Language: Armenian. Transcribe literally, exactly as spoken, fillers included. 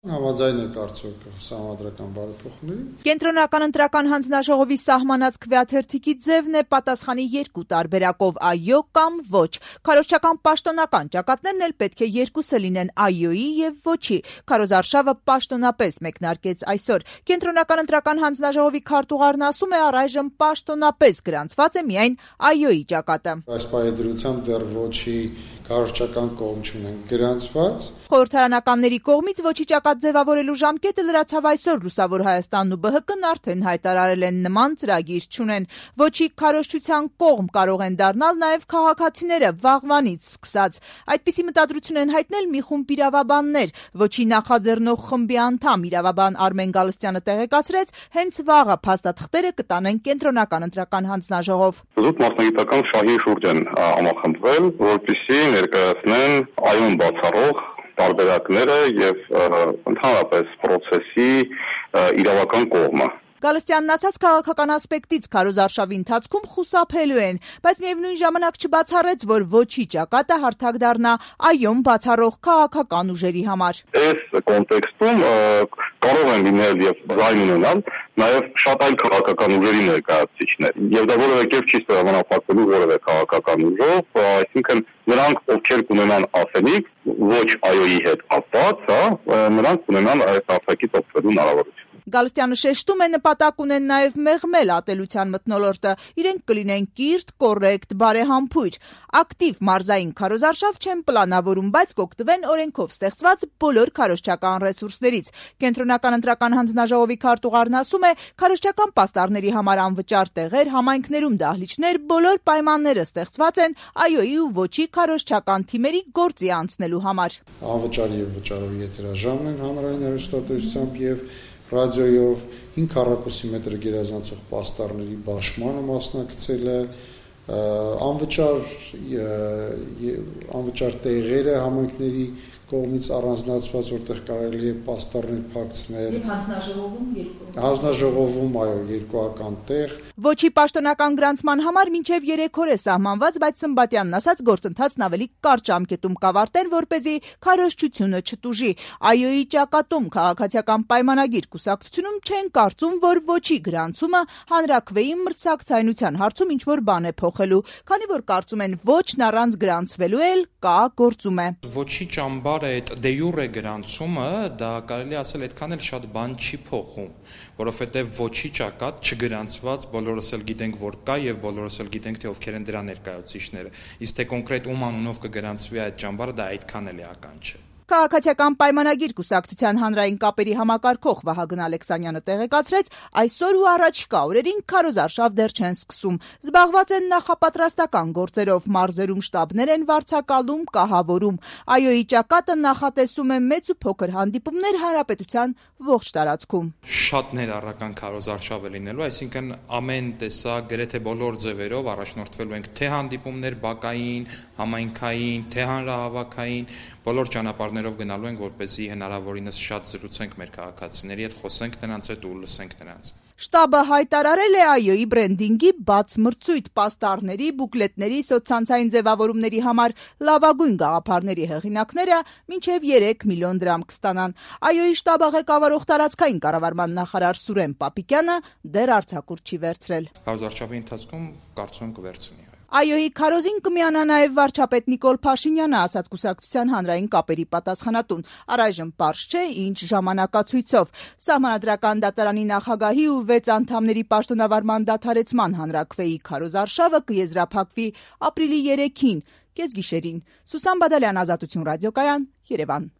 Համաձայն է կարծոք սահմանադրական բարեփոխումների։ Կենտրոնական ընտրական հանձնաժողովի սահմանած քվեաթերթիկի ձևն է պատասխանի երկու տարբերակով՝ այո կամ ոչ։ Քարոզչական պաշտոնական ճակատներն էլ պետք է երկուսը լինեն՝ այոյի եւ ոչի։ Քարոզարշավը պաշտոնապես մեկնարկեց այսօր։ Կենտրոնական ընտրական հանձնաժողովի քարտուղարն ասում է, առայժմ պաշտոնապես գրանցված է միայն այոյի ճակատը։ Այս պայմանությամբ դեռ ոչի քարոզչական կողմ չունեն գրանցված։ Խորհրդարանականների կողմից ոչի ճակատ ձևավորելու ժամկետը լրացավ այսօր։ Լուսավոր Հայաստանն ու ԲՀԿ-ն արդեն հայտարարել են նման ծրագիր չունեն։ Ոչի քարոզչության կողմ կարող են դառնալ նաև քաղաքացիները վաղվանից սկսած։ Այդպիսի մտադրություն են հայտնել մի խումբ իրավաբաններ։ Ոչի նախաձեռնող խմբի անդամ իրավաբան Արմեն Գալստյանը տեղեկացրեց, հենց վաղը փաստաթղթերը կտանեն Կենտրոնական ընտրական հանձնաժողով։ Զուտ մասնագիտական շահի շուրջ են համախմբվել, որպեսզի ներկայացնեն այոն բացառող տարբերակները եւ ընդհանրապես process-ի իրավական կողմը։ Գալստյանն ասաց, քաղաքական ասպեկտից քարոզարշավի ընթացքում խուսափելու են, բայց միևնույն ժամանակ չբացառեց, որ ոչի ճակատը հարթակ դառնա այոն բացառող քաղաքական ուժերի համար։ Այս կոնտեքստում կարող են լինել եւ զայն ունենալ նաեւ շատ այլ քաղաքական ուժերի ներկայացուցիչներ, եւ դա որևէ կերպ չի սահմանափակվելու որևէ քաղաքական ուժով, այսինքն նրանք, ովքեր կունենան ասելիք ոչ այոյի հետ կապված, հա, նրանք կունենան այս արտաքից օգտվելու հնարավորություն։ Գալստյանը շեշտում է, նպատակ ունեն նաև մեղմել ատելության մթնոլորտը, իրենք կլինեն կիրթ, կոռեկտ, բարեհամբույր, ակտիվ մարզային քարոզարշավ չեն պլանավորում, բայց կօգտվեն օրենքով ստեղծված բոլոր քարոզչական ռեսուրսներից։ Կենտրոնական ընտրական հանձնաժողովի քարտուղարն ասում է, քարոզչական պաստառների համար անվճար տեղեր, համայնքներում դահլիճներ, բոլոր պայմանները ստեղծված են այոյի ու ոչի քարոզչական թիմերի գործի անցնելու համար։ Անվճար եւ վճարովի եթերաժամն են հանրային հեռուստատեսությամբ եւ ռադիոյով հինգ քառակուսի մետր գերազանցող պաստառների բաշխմանը մասնակցել է, անվճար անվճար տեղերը համայնքների կողմից առանձնացված, որտեղ կարելի է պաստառներ փակցնել։ Եվ հանձնաժողովում երկու։ Հանձնաժողովում այո, երկուական տեղ։ Ոչի պաշտոնական գրանցման համար մինչև երեք օր է սահմանված, բայց Սմբատյանն ասաց, գործընթացն ավելի կարճ ժամկետում կավարտեն, որպեսզի քարոզչությունը չտուժի։ Այոյի ճակատում քաղաքացիական պայմանագիր կուսակցությունում չեն կարծում, որ ոչի գրանցումը հանրաքվեի մրցակցայնության հարցում ինչ-որ բան է փոխելու, քանի որ կարծում են ոչն առանց գրանցվելու էլ կա գործում է։ Ոչի ճամբար այդ դե յուրե գրանցումը, դա կարելի ասել այդքան էլ շատ բան չի փոխում, որովհետև ոչի ճակատ չգրանցված բոլորս էլ գիտենք, որ կա եւ բոլորս էլ գիտենք, թե ովքեր են դրա ներկայացուցիչները։ Իսկ թե կոնկրետ ում անունով կգրանցվի այդ ճամբարը, դա այդքան էլ էական չէ։ Քաղաքացիական պայմանագիր կուսակցության հանրային կապերի համակարգող Վահագն Ալեքսանյանը տեղեկացրեց, այսօր ու առաջիկա օրերին քարոզարշավ դեռ չեն սկսում։ Զբաղված են նախապատրաստական գործերով, մարզերում շտաբներ են վարձակալում, կահավորում։ Այոյի ճակատը նախատեսում է մեծ ու փոքր հանդիպումներ հանրապետության ողջ տարածքում։ Շատ ներառական քարոզարշավ է լինելու, այսինքն ամեն տեսակ, գրեթե բոլոր ձևերով առաջնորդվելու ենք թե հանդիպումներ բակային, համայնքային, թե հանրահավաքային, բոլոր ճանապարհներով գնալու ենք, որպեսզի հնարավորինս շատ զրուցենք մեր քաղաքացիների հետ, խոսենք նրանց հետ ու լսենք նրանց։ Շտաբը հայտարարել է այոյի բրենդինգի բաց մրցույթ, պաստառների, բուկլետների, սոցցանցային ձևավորումների համար լավագույն գաղափարների հեղինակները մինչև երեք միլիոն դրամ կստանան։ Այոյի շտաբը ղեկավարող տարածքային կառավարման նախարար Սուրեն Պապիկյանը դեռ արձակուրդ չի վերցրել։ Քարոզարշավի ընթացքում կարծում եմ կվերցնի։ Այոյի քարոզին կմիանա նաև վարչապետ Նիկոլ Փաշինյանը, ասաց կուսակցության հանրային կապերի պատասխանատուն։ Առայժմ պարզ չէ ինչ ժամանակացույցով։ Սահմանադրական դատարանի նախագահի ու վեց անդամների պաշտոնավարման դադարեցման հանրաքվեի քարոզարշավը կեզրափակվի ապրիլի երեքին, կեսգիշերին։ Սուսան Բադալյան, Ազատություն ռադիոկայան, Երևան։